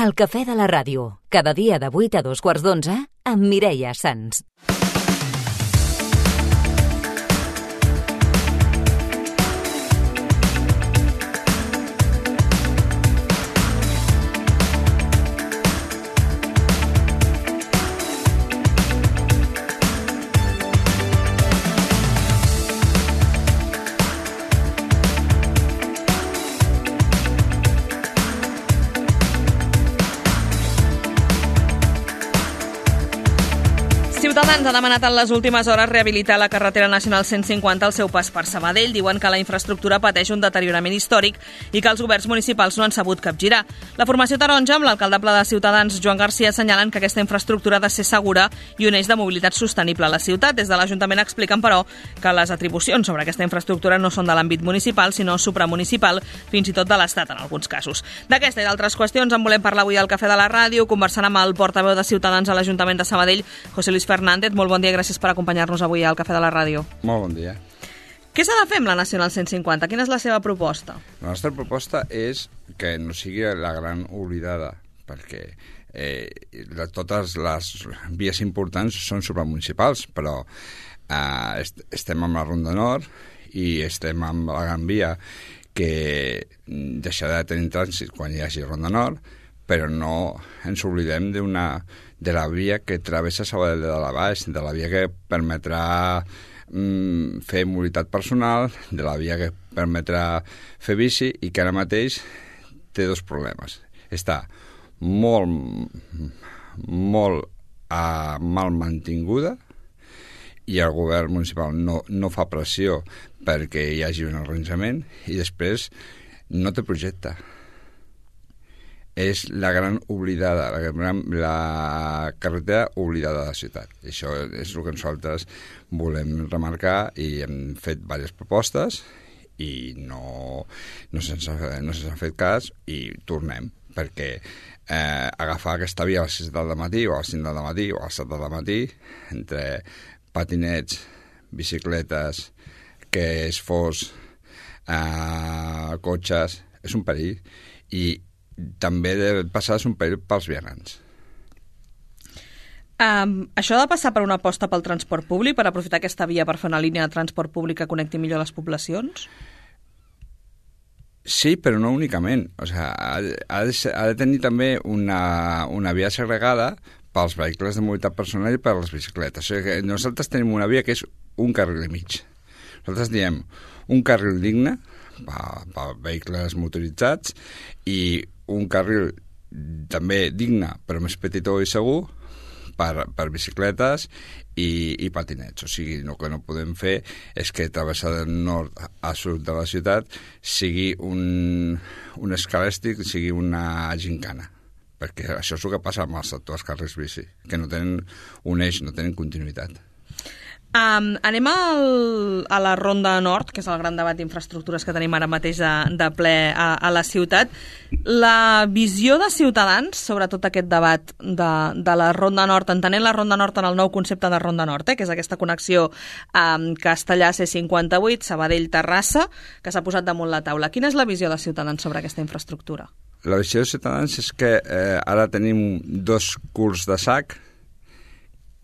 El cafè de la ràdio, cada dia de 8 a 2:15 amb Mireia Sans. Ciutadans ha demanat en les últimes hores rehabilitar la carretera nacional 150 al seu pas per Sabadell. Diuen que la infraestructura pateix un deteriorament històric i que els governs municipals no han sabut capgirar. La formació taronja, amb l'alcaldable de Ciutadans, Joan Garcia, assenyalen que aquesta infraestructura ha de ser segura i un eix de mobilitat sostenible a la ciutat. Des de l'Ajuntament expliquen, però, que les atribucions sobre aquesta infraestructura no són de l'àmbit municipal, sinó supramunicipal, fins i tot de l'Estat en alguns casos. D'aquesta i d'altres qüestions en volem parlar avui al Cafè de la Ràdio, conversant amb el portaveu de Ciutadans a l'Ajuntament de Sabadell, José Luis Fernández. Molt bon dia, gràcies per acompanyar-nos avui al Cafè de la Ràdio. Molt bon dia. Què s'ha de fer amb la Nacional 150? Quina és la seva proposta? La nostra proposta és que no sigui la gran oblidada, perquè totes les vies importants són supramunicipals, però estem amb la Ronda Nord i estem amb la Gran Via, que deixarà de tenir trànsit quan hi hagi Ronda Nord, però no ens oblidem de la via que travessa Sabadell de la Baix, de la via que permetrà fer mobilitat personal, de la via que permetrà fer bici i que ara mateix té dos problemes. Està molt mal mantinguda i el govern municipal no fa pressió perquè hi hagi un arranjament i després no té projecte. És la gran oblidada, la carretera oblidada de la ciutat. I això és el que nosaltres volem remarcar i hem fet diverses propostes i no se'ns ha fet cas i tornem, perquè agafar aquesta via a les 6 del matí o a les 5 del matí o a les 7 del matí entre patinets, bicicletes, que és fos, cotxes, és un perill i també de passar és un perill pels vianants. Això ha de passar per una aposta pel transport públic, per aprofitar aquesta via per fer una línia de transport públic que connecti millor les poblacions? Sí, però no únicament. O sigui, ha de tenir també una via segregada pels vehicles de mobilitat personal i per les bicicletes. O sigui, que nosaltres tenim una via que és un carril i mig. Nosaltres diem un carril digne per vehicles motoritzats i un carril també digne, però més petitó i segur, per bicicletes i patinets. O sigui, el que no podem fer és que travessar del nord a sud de la ciutat sigui un escalèstic, sigui una gincana. Perquè això és el que passa amb els actuals carrils bici, que no tenen un eix, no tenen continuïtat. Anem a la Ronda Nord, que és el gran debat d'infraestructures que tenim ara mateix de ple a la ciutat. La visió de Ciutadans sobre tot aquest debat de la Ronda Nord, entenent la Ronda Nord en el nou concepte de Ronda Nord, que és aquesta connexió Castellar C58, Sabadell-Terrassa, que s'ha posat damunt la taula. Quina és la visió de Ciutadans sobre aquesta infraestructura? La visió de Ciutadans és que ara tenim dos culs de sac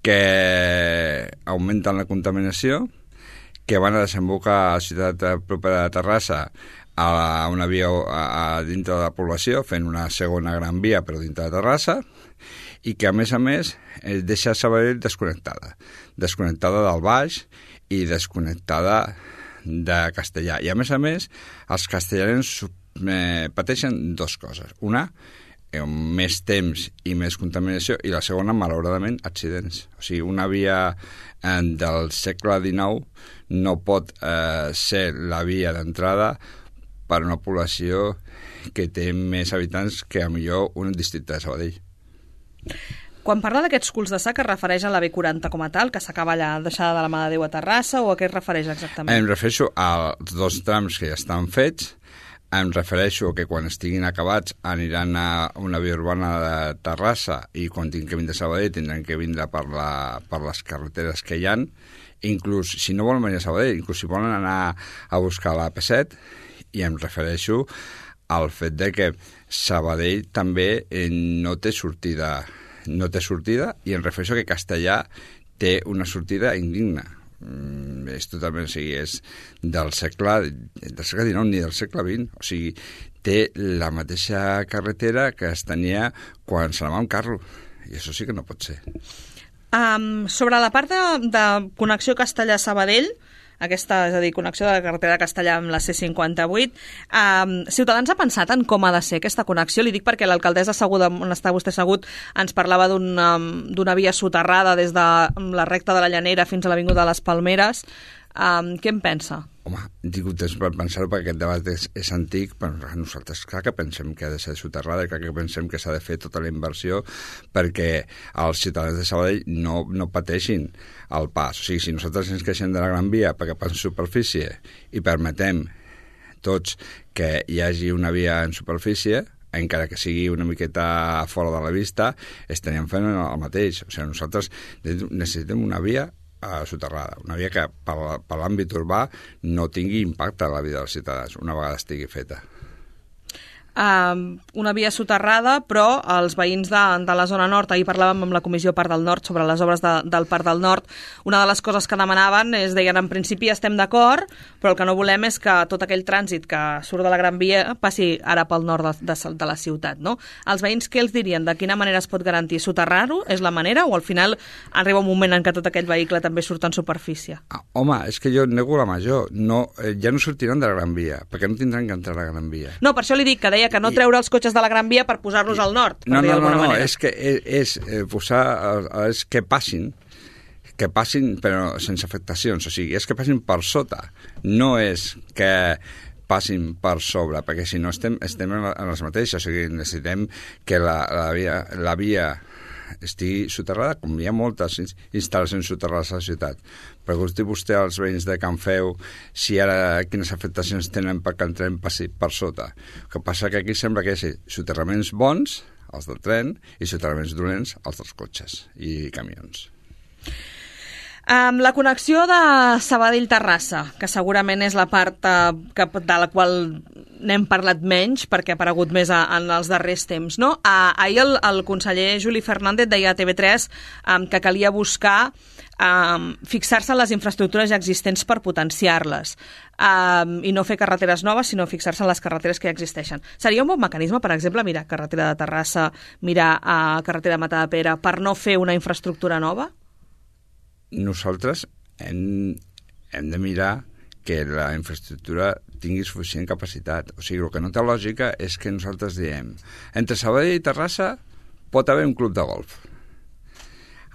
que augmenten la contaminació, que van a desembocar a la ciutat propera de Terrassa a una via dintre de la població, fent una segona gran via però dintre de Terrassa, i que a més deixa Sabadell desconnectada del Baix i desconnectada de Castellar. I a més, els castellans pateixen dues coses. Una, més temps i més contaminació, i la segona, malauradament, accidents. O sigui, una via del segle XIX no pot ser la via d'entrada per una població que té més habitants que, a millor, un districte de Sabadell. Quan parla d'aquests culs de sac, es refereix a la B40 com a tal, que s'acaba allà deixada de la mà de Déu a Terrassa, o a què es refereix exactament? Em refereixo als dos trams que ja estan fets. Em refereixo que quan estiguin acabats aniran a una via urbana de Terrassa i quan tinguin que vindre a Sabadell tindran que vindre per les carreteres que hi ha. Inclús, si no volen venir a Sabadell, inclús si volen anar a buscar la P7, i em refereixo el fet de que Sabadell també no té sortida i em refereixo que Castellà té una sortida indigna. És totalment, o sigui, és del segle XIX ni del segle XX, o sigui, té la mateixa carretera que es tenia quan s'anava amb carro, i això sí que no pot ser. Sobre la part de connexió Castellà-Sabadell, aquesta, és a dir, connexió de la carretera de Castellà amb la C58, Ciutadans ha pensat en com ha de ser aquesta connexió? Li dic perquè l'alcaldessa asseguda, on està vostè assegut, ens parlava d'una via soterrada des de la recta de la Llanera fins a l'Avinguda de les Palmeres. Què en pensa? Home, he tingut temps per pensar-ho perquè aquest debat és antic, però nosaltres clar que pensem que ha de ser soterrada, clar que pensem que s'ha de fer tota la inversió perquè els ciutadans de Sabadell no pateixin el pas. O sigui, si nosaltres ens queixem de la Gran Via perquè passa en superfície i permetem tots que hi hagi una via en superfície, encara que sigui una miqueta fora de la vista, estaríem fent el mateix. O sigui, nosaltres necessitem una via soterrada, una via que per l'àmbit urbà no tingui impacte en la vida dels ciutadans una vegada estigui feta. Una via soterrada, però els veïns de la zona nord, ahir parlàvem amb la Comissió Parc del Nord sobre les obres del Parc del Nord, una de les coses que demanaven deien, en principi estem d'acord, però el que no volem és que tot aquell trànsit que surt de la Gran Via passi ara pel nord de la ciutat, no? Els veïns què els dirien? De quina manera es pot garantir? Soterrar-ho és la manera o al final arriba un moment en què tot aquell vehicle també surt en superfície? Home, és que jo nego la major. Ja no sortiran de la Gran Via, perquè no tindran que entrar a la Gran Via. No, per això li dic que deia que no treure els cotxes de la Gran Via per posar-los al nord, per dir d'alguna manera. És que és que passin però sense afectacions, o sigui, és que passin per sota, no és que passin per sobre, perquè si no estem en les mateixes, o sigui, necessitem que la via estigui soterrada, com hi ha moltes instal·lacions soterrades a la ciutat. Pregunti vostè als veïns de Can Feu si ara quines afectacions tenen perquè el tren passi per sota. El que passa que aquí sembla que hi ha soterraments bons, els del tren, i soterraments dolents, els dels cotxes i camions. La connexió de Sabadell-Terrassa, que segurament és la part de la qual n'hem parlat menys perquè ha aparegut més en els darrers temps, no? Ahir el conseller Juli Fernández deia a TV3 que calia buscar fixar-se en les infraestructures ja existents per potenciar-les i no fer carreteres noves, sinó fixar-se en les carreteres que ja existeixen. Seria un bon mecanisme, per exemple, mirar carretera de Terrassa, mirar carretera de Matadepera, per no fer una infraestructura nova? Nosaltres hem de mirar que la infraestructura tingui suficient capacitat. O sigui, el que no té lògica és que nosaltres diem entre Sabadell i Terrassa pot haver un club de golf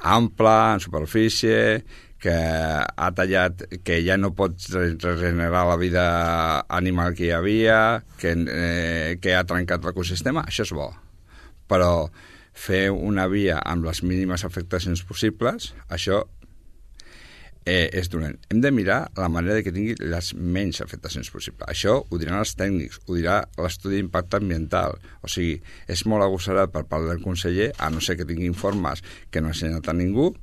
ample, en superfície, que ha tallat, que ja no pot regenerar la vida animal que hi havia, que ha trencat l'ecosistema. Això és bo. Però fer una via amb les mínimes afectacions possibles, això és dolent. Hem de mirar la manera que tingui les menys afectacions possibles. Això ho diran els tècnics, ho dirà l'estudi d'impacte ambiental. O sigui, és molt agosarat per part del conseller, a no ser que tingui informes que no ha ensenyat a ningú,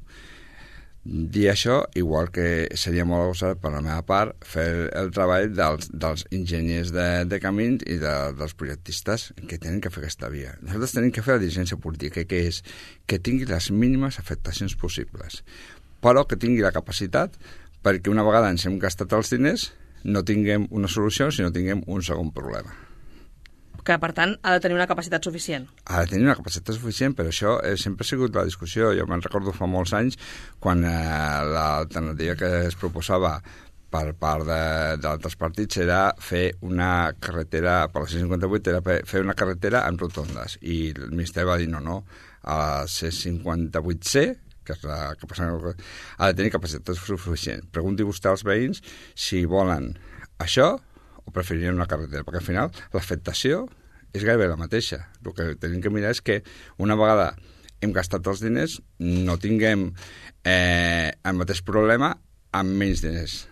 dir això, igual que seria molt agosarat per la meva part fer el treball dels enginyers de camins i dels projectistes que tenen que fer aquesta via. Nosaltres tenim que fer la diligència política, que és que tingui les mínimes afectacions possibles, però que tingui la capacitat perquè una vegada ens hem gastat els diners no tinguem una solució, sinó tinguem un segon problema. Que, per tant, ha de tenir una capacitat suficient. Ha de tenir una capacitat suficient, però això sempre ha sigut la discussió. Jo me'n recordo fa molts anys quan l'alternativa que es proposava per part d'altres partits era fer una carretera, per la C58, era fer una carretera en rotondes. I el Ministeri va dir no, a la C58C, que és la que passa, ha de tenir capacitat suficient. Pregunti vostè als veïns si volen això o preferirien una carretera, perquè al final l'afectació és gairebé la mateixa. El que tenim que mirar és que una vegada hem gastat els diners no tinguem el mateix problema amb menys diners.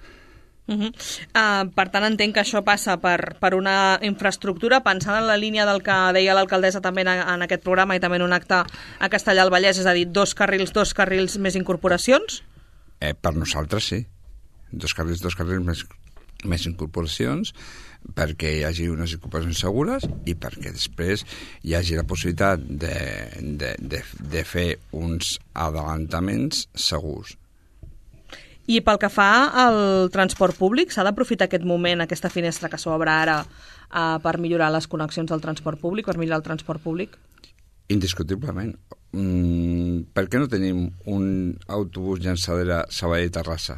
Per tant, entenc que això passa per una infraestructura, pensant en la línia del que deia l'alcaldessa també en aquest programa i també en un acte a Castellar del Vallès, és a dir, dos carrils més incorporacions? Per nosaltres sí. Dos carrils més més incorporacions, perquè hi hagi unes incorporacions segures i perquè després hi hagi la possibilitat de fer uns adelantaments segurs. I pel que fa al transport públic, s'ha d'aprofitar aquest moment, aquesta finestra que s'obre ara, per millorar les connexions del transport públic, per millorar el transport públic? Indiscutiblement. Per què no tenim un autobús llançadera Sabadell-Terrassa?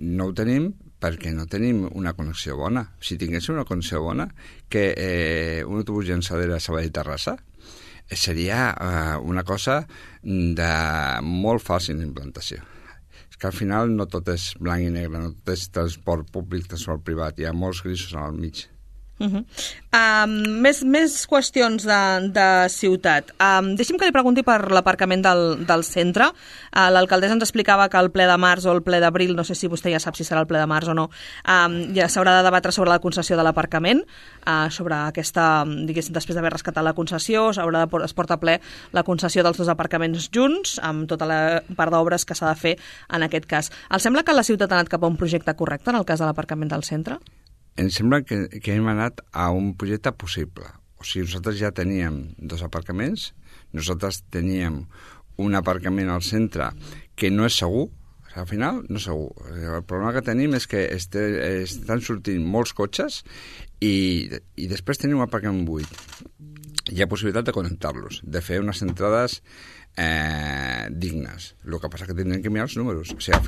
No ho tenim perquè no tenim una connexió bona. Si tinguéssim una connexió bona, que un autobús llançadera Sabadell-Terrassa seria una cosa de molt fàcil d'implantació. És que al final no tot és blanc i negre, no tot és transport públic, transport privat, hi ha molts grisos al mig. Més qüestions de ciutat. Deixi'm que li pregunti per l'aparcament del centre. L'alcaldessa ens explicava que el ple de març o el ple d'abril, no sé si vostè ja sap si serà el ple de març o no, ja s'haurà de debatre sobre la concessió de l'aparcament, sobre aquesta, diguéssim, després d'haver rescatat la concessió, es porta a ple la concessió dels 2 aparcaments junts, amb tota la part d'obres que s'ha de fer en aquest cas. Els sembla que la ciutat ha anat cap a un projecte correcte en el cas de l'aparcament del centre? Em sembla que hem anat a un projecte possible. O sigui, nosaltres ja teníem 2 aparcaments, nosaltres teníem un aparcament al centre que no és segur, al final no és segur. El problema que tenim és que estan sortint molts cotxes i després tenim un aparcament buit. Hi ha possibilitat de connectar-los, de fer unes entrades dignes. El que passa que tindrem que mirar els números. O sigui, al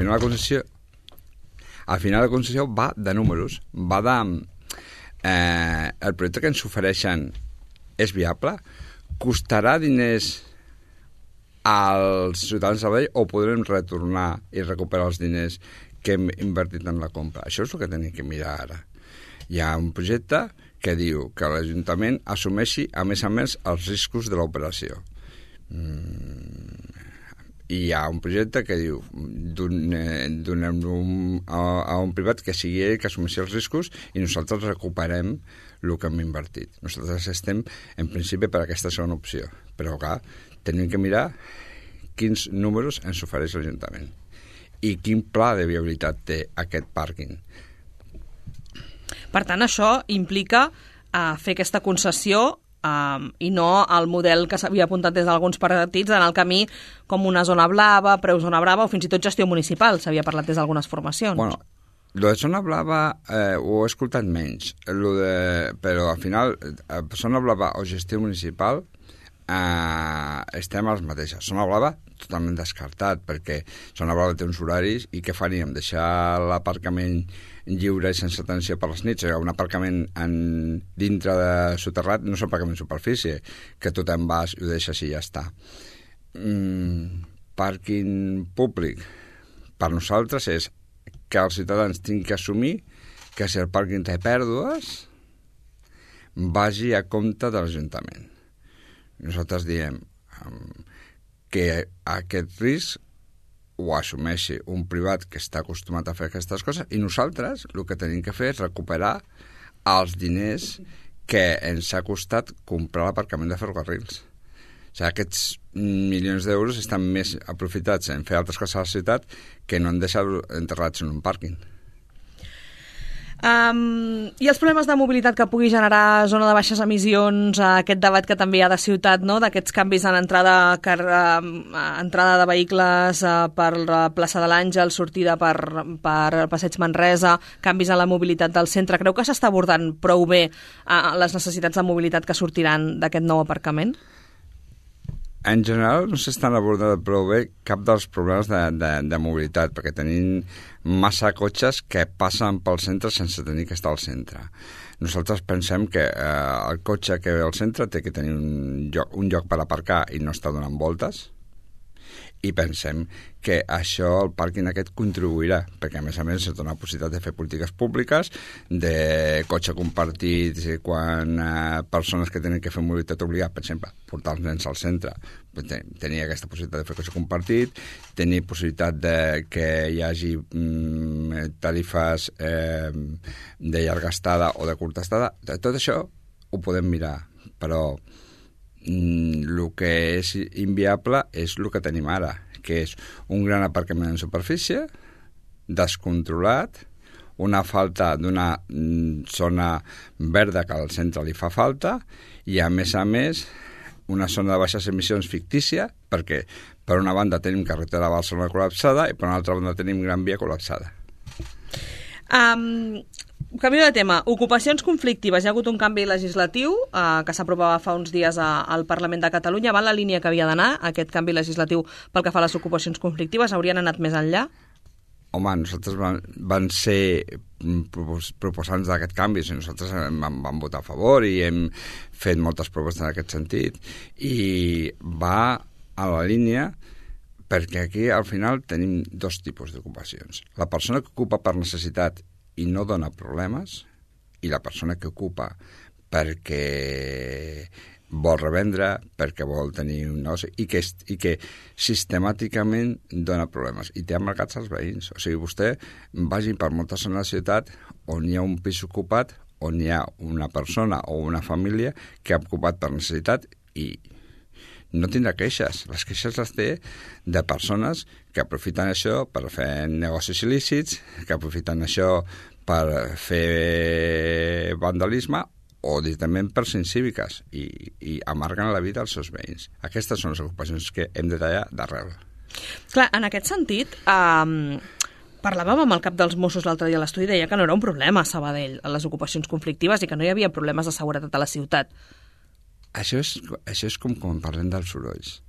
final la concessió va de números, va de... el projecte que ens ofereixen és viable? Costarà diners als ciutadans de Sabadell o podrem retornar i recuperar els diners que hem invertit en la compra? Això és el que tenim que mirar ara. Hi ha un projecte que diu que l'Ajuntament assumeixi, a més, els riscos de l'operació. I hi ha un projecte que diu donem-lo a un privat que sigui ell que assumeixi els riscos i nosaltres recuperem el que hem invertit. Nosaltres estem, en principi, per aquesta segona opció. Però, clar, tenim que mirar quins números ens ofereix l'Ajuntament i quin pla de viabilitat té aquest pàrquing. Per tant, això implica fer aquesta concessió i no el model que s'havia apuntat des d'alguns partits en el camí com una zona blava, preu zona brava o fins i tot gestió municipal, s'havia parlat des d'algunes formacions. Bueno, lo de zona blava ho he escoltat menys, però al final zona blava o gestió municipal estem a les mateixes. Zona blava totalment descartat, perquè zona blava té uns horaris i què faríem? Deixar l'aparcament lliure i sense atenció per les nits. Un aparcament dintre de soterrat no és un aparcament de superfície, que tu te'n vas i ho deixes i ja està. Pàrquing públic per nosaltres és que els ciutadans tinguin que assumir que si el pàrquing té pèrdues vagi a compte de l'Ajuntament. Nosaltres diem que aquest risc ho assumeixi un privat que està acostumat a fer aquestes coses i nosaltres el que tenim que fer és recuperar els diners que ens ha costat comprar l'aparcament de ferrocarrils. O sigui, aquests milions d'euros estan més aprofitats en fer altres coses a la ciutat que no en deixar-los enterrats en un pàrquing. I els problemes de mobilitat que pugui generar zona de baixes emissions, aquest debat que també hi ha de ciutat, no? D'aquests canvis en entrada de vehicles per la plaça de l'Àngel, sortida per Passeig Manresa, canvis en la mobilitat del centre. Creu que s'està abordant prou bé les necessitats de mobilitat que sortiran d'aquest nou aparcament? En general no s'estan abordant prou bé cap dels problemes de mobilitat, perquè tenim massa cotxes que passen pel centre sense tenir que estar al centre. Nosaltres pensem que el cotxe que ve al centre té que tenir un lloc per aparcar i no estar donant voltes, i pensem que això, el pàrquing aquest, contribuirà, perquè a més es dona la possibilitat de fer polítiques públiques, de cotxe compartit, quan persones que tenen que fer mobilitat obligada, per exemple, portar els nens al centre, tenir aquesta possibilitat de fer cotxe compartit, tenir possibilitat de que hi hagi tarifes de llarga estada o de curta estada. Tot això ho podem mirar, però el que és inviable és el que tenim ara, que és un gran aparcament en superfície, descontrolat, una falta d'una zona verda que al centre li fa falta i, a més, una zona de baixes emissions fictícia, perquè per una banda tenim carretera a Barcelona col·lapsada i per una altra banda tenim Gran Via col·lapsada. Canvi de tema. Ocupacions conflictives. Hi ha hagut un canvi legislatiu que s'aprovava fa uns dies al Parlament de Catalunya. Va en la línia que havia d'anar, aquest canvi legislatiu pel que fa a les ocupacions conflictives? Haurien anat més enllà? Home, nosaltres van ser proposants d'aquest canvi, nosaltres vam votar a favor i hem fet moltes propostes en aquest sentit, i va a la línia perquè aquí al final tenim dos tipus d'ocupacions. La persona que ocupa per necessitat i no dona problemes, i la persona que ocupa perquè vol revendre, perquè vol tenir un negoci i que sistemàticament dona problemes i té emmarcats els veïns. O sigui, vostè vagi per moltes zones de la ciutat on hi ha un pis ocupat, on hi ha una persona o una família que ha ocupat per necessitat i no tindrà queixes. Les queixes les té de persones que aprofiten això per fer negocis il·lícits, que aprofiten això per fer vandalisme o directament per ser incíviques i amarguen la vida als seus veïns. Aquestes són les ocupacions que hem de tallar d'arrel. Clar, en aquest sentit, parlàvem amb el cap dels Mossos l'altre dia a l'estudi, deia que no era un problema a Sabadell, a les ocupacions conflictives, i que no hi havia problemes de seguretat a la ciutat. Això és com quan parlem dels sorolls,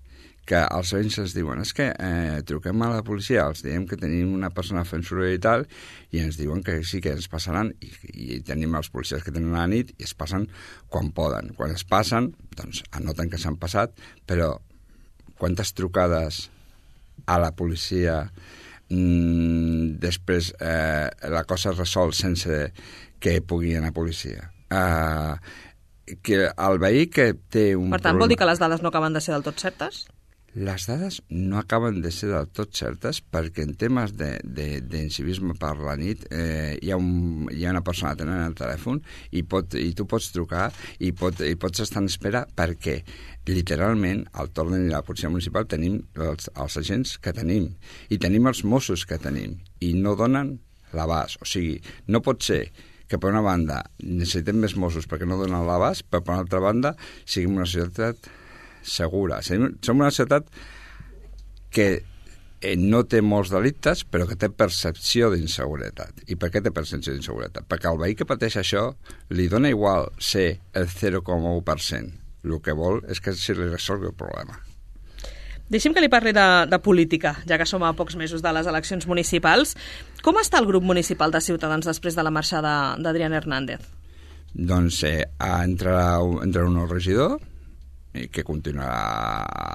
que els veïns es diuen que truquem a la policia, els diem que tenim una persona fent soroll i tal, i ens diuen que sí que ens passaran, i tenim els policies que tenen a la nit i es passen quan poden. Quan es passen, doncs anoten que s'han passat, però quantes trucades a la policia després la cosa es resol sense que pugui anar a policia? Que el veí que té un Per tant, vol dir que les dades no acaben de ser del tot certes? Les dades no acaben de ser del tot certes perquè en temes d'incivisme per la nit hi ha una persona atenent el telèfon i tu pots trucar i pots estar en espera perquè literalment al Torn i la policia municipal tenim els agents que tenim i tenim els Mossos que tenim i no donen l'abast. O sigui, no pot ser que per una banda necessitem més Mossos perquè no donen l'abast, però per una altra banda siguem una societat segura. Som una ciutat que no té molts delictes, però que té percepció d'inseguretat. I per què té percepció d'inseguretat? Perquè al veí que pateix això li dona igual ser el 0,1%. El que vol és que se li resolgui el problema. Deixi'm que li parli de política, ja que som a pocs mesos de les eleccions municipals. Com està el grup municipal de Ciutadans després de la marxada d'Adrián Hernández? Doncs entrarà un nou regidor que continuarà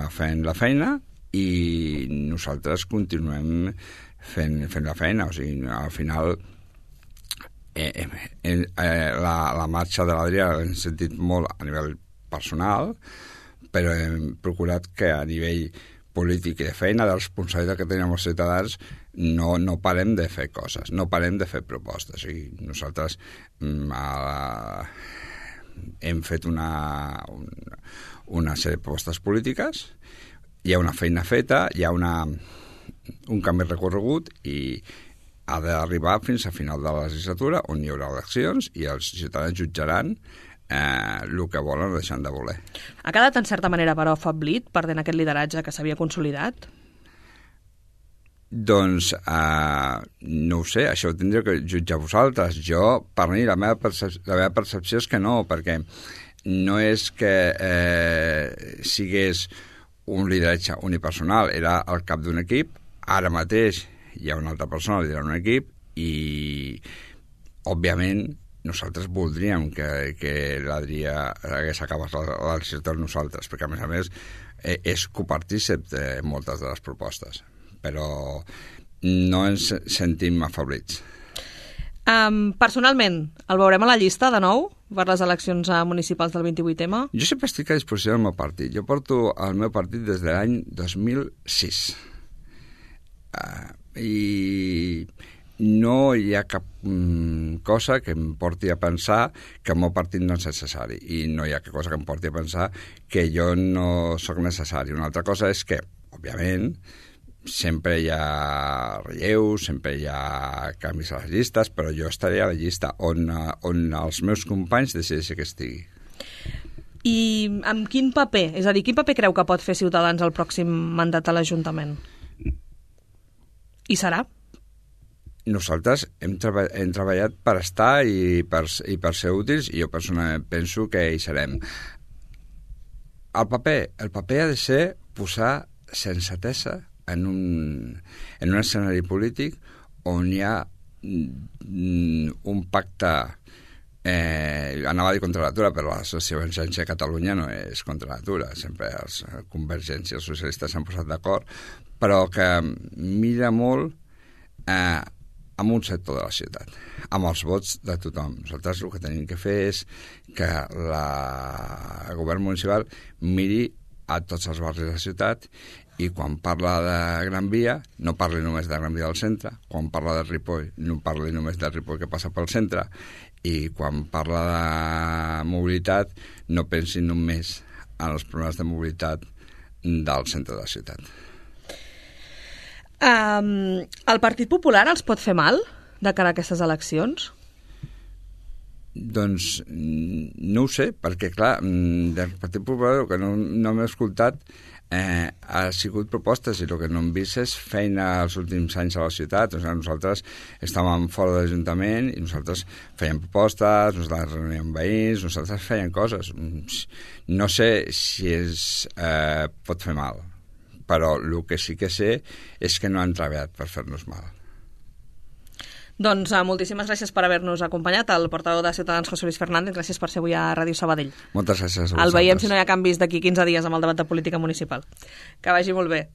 fent la feina i nosaltres continuem fent la feina. O sigui, al final la marxa de l'Adrià l'hem sentit molt a nivell personal, però hem procurat que a nivell polític i de feina, de responsabilitat que tenim els ciutadans, no parem de fer coses, no parem de fer propostes. O sigui, nosaltres hem fet una sèrie de propostes polítiques, hi ha una feina feta, hi ha un camí recorregut i ha d'arribar fins a final de la legislatura on hi haurà eleccions i els ciutadans jutjaran el que volen o deixant de voler. Ha quedat en certa manera, però, afeblit perdent aquest lideratge que s'havia consolidat? Doncs no ho sé, això ho tindreu que jutjar vosaltres. Jo, per mi, la meva percepció és que no, perquè no és que sigués un lideratge unipersonal, era el cap d'un equip, ara mateix hi ha una altra persona liderant un equip i, òbviament, nosaltres voldríem que l'Adrià hagués acabat la legislatura amb nosaltres, perquè, a més, és copartícip de moltes de les propostes, però no ens sentim afavorits. Personalment, el veurem a la llista de nou per les eleccions municipals del 28M? Jo sempre estic a disposició del meu partit. Jo porto el meu partit des de l'any 2006. I no hi ha cap cosa que em porti a pensar que el meu partit no és necessari i no hi ha cap cosa que em porti a pensar que jo no sóc necessari. Una altra cosa és que, òbviament, sempre hi ha relleus, sempre hi ha canvis a les llistes, però jo estaré a la llista on els meus companys decideixen que estigui. I amb quin paper? És a dir, quin paper creu que pot fer Ciutadans al pròxim mandat a l'Ajuntament? I serà? Nosaltres hem treballat per estar i per ser útils, i jo personalment penso que hi serem. El paper ha de ser posar sensatesa en un escenari polític on hi ha un pacte, anava a dir contra l'atura, però la sociovergència a Catalunya no és contra l'atura, sempre els convergents i els socialistes s'han posat d'acord, però que mira molt amb un sector de la ciutat, amb els vots de tothom. Nosaltres el que tenim que fer és que el govern municipal miri a tots els barris de la ciutat, i quan parla de Gran Via no parli només de Gran Via del centre, quan parla de Ripoll no parli només de Ripoll que passa pel centre, i quan parla de mobilitat no pensi només en els problemes de mobilitat del centre de la ciutat. El Partit Popular els pot fer mal de cara a aquestes eleccions? Doncs no ho sé, perquè clar, del Partit Popular el que no m'he escoltat ha sigut propostes, i el que no hem vist és feina els últims anys a la ciutat. O sigui, nosaltres estàvem fora de l'Ajuntament i nosaltres fèiem propostes, nosaltres reuníem veïns, nosaltres fèiem coses. No sé si pot fer mal, però el que sí que sé és que no han treballat per fer-nos mal. Doncs moltíssimes gràcies per haver-nos acompanyat, el portaveu de Ciutadans, José Luis Fernández. Gràcies per ser avui a Ràdio Sabadell. Moltes gràcies a vosaltres. El veiem si no hi ha canvis d'aquí 15 dies amb el debat de política municipal. Que vagi molt bé.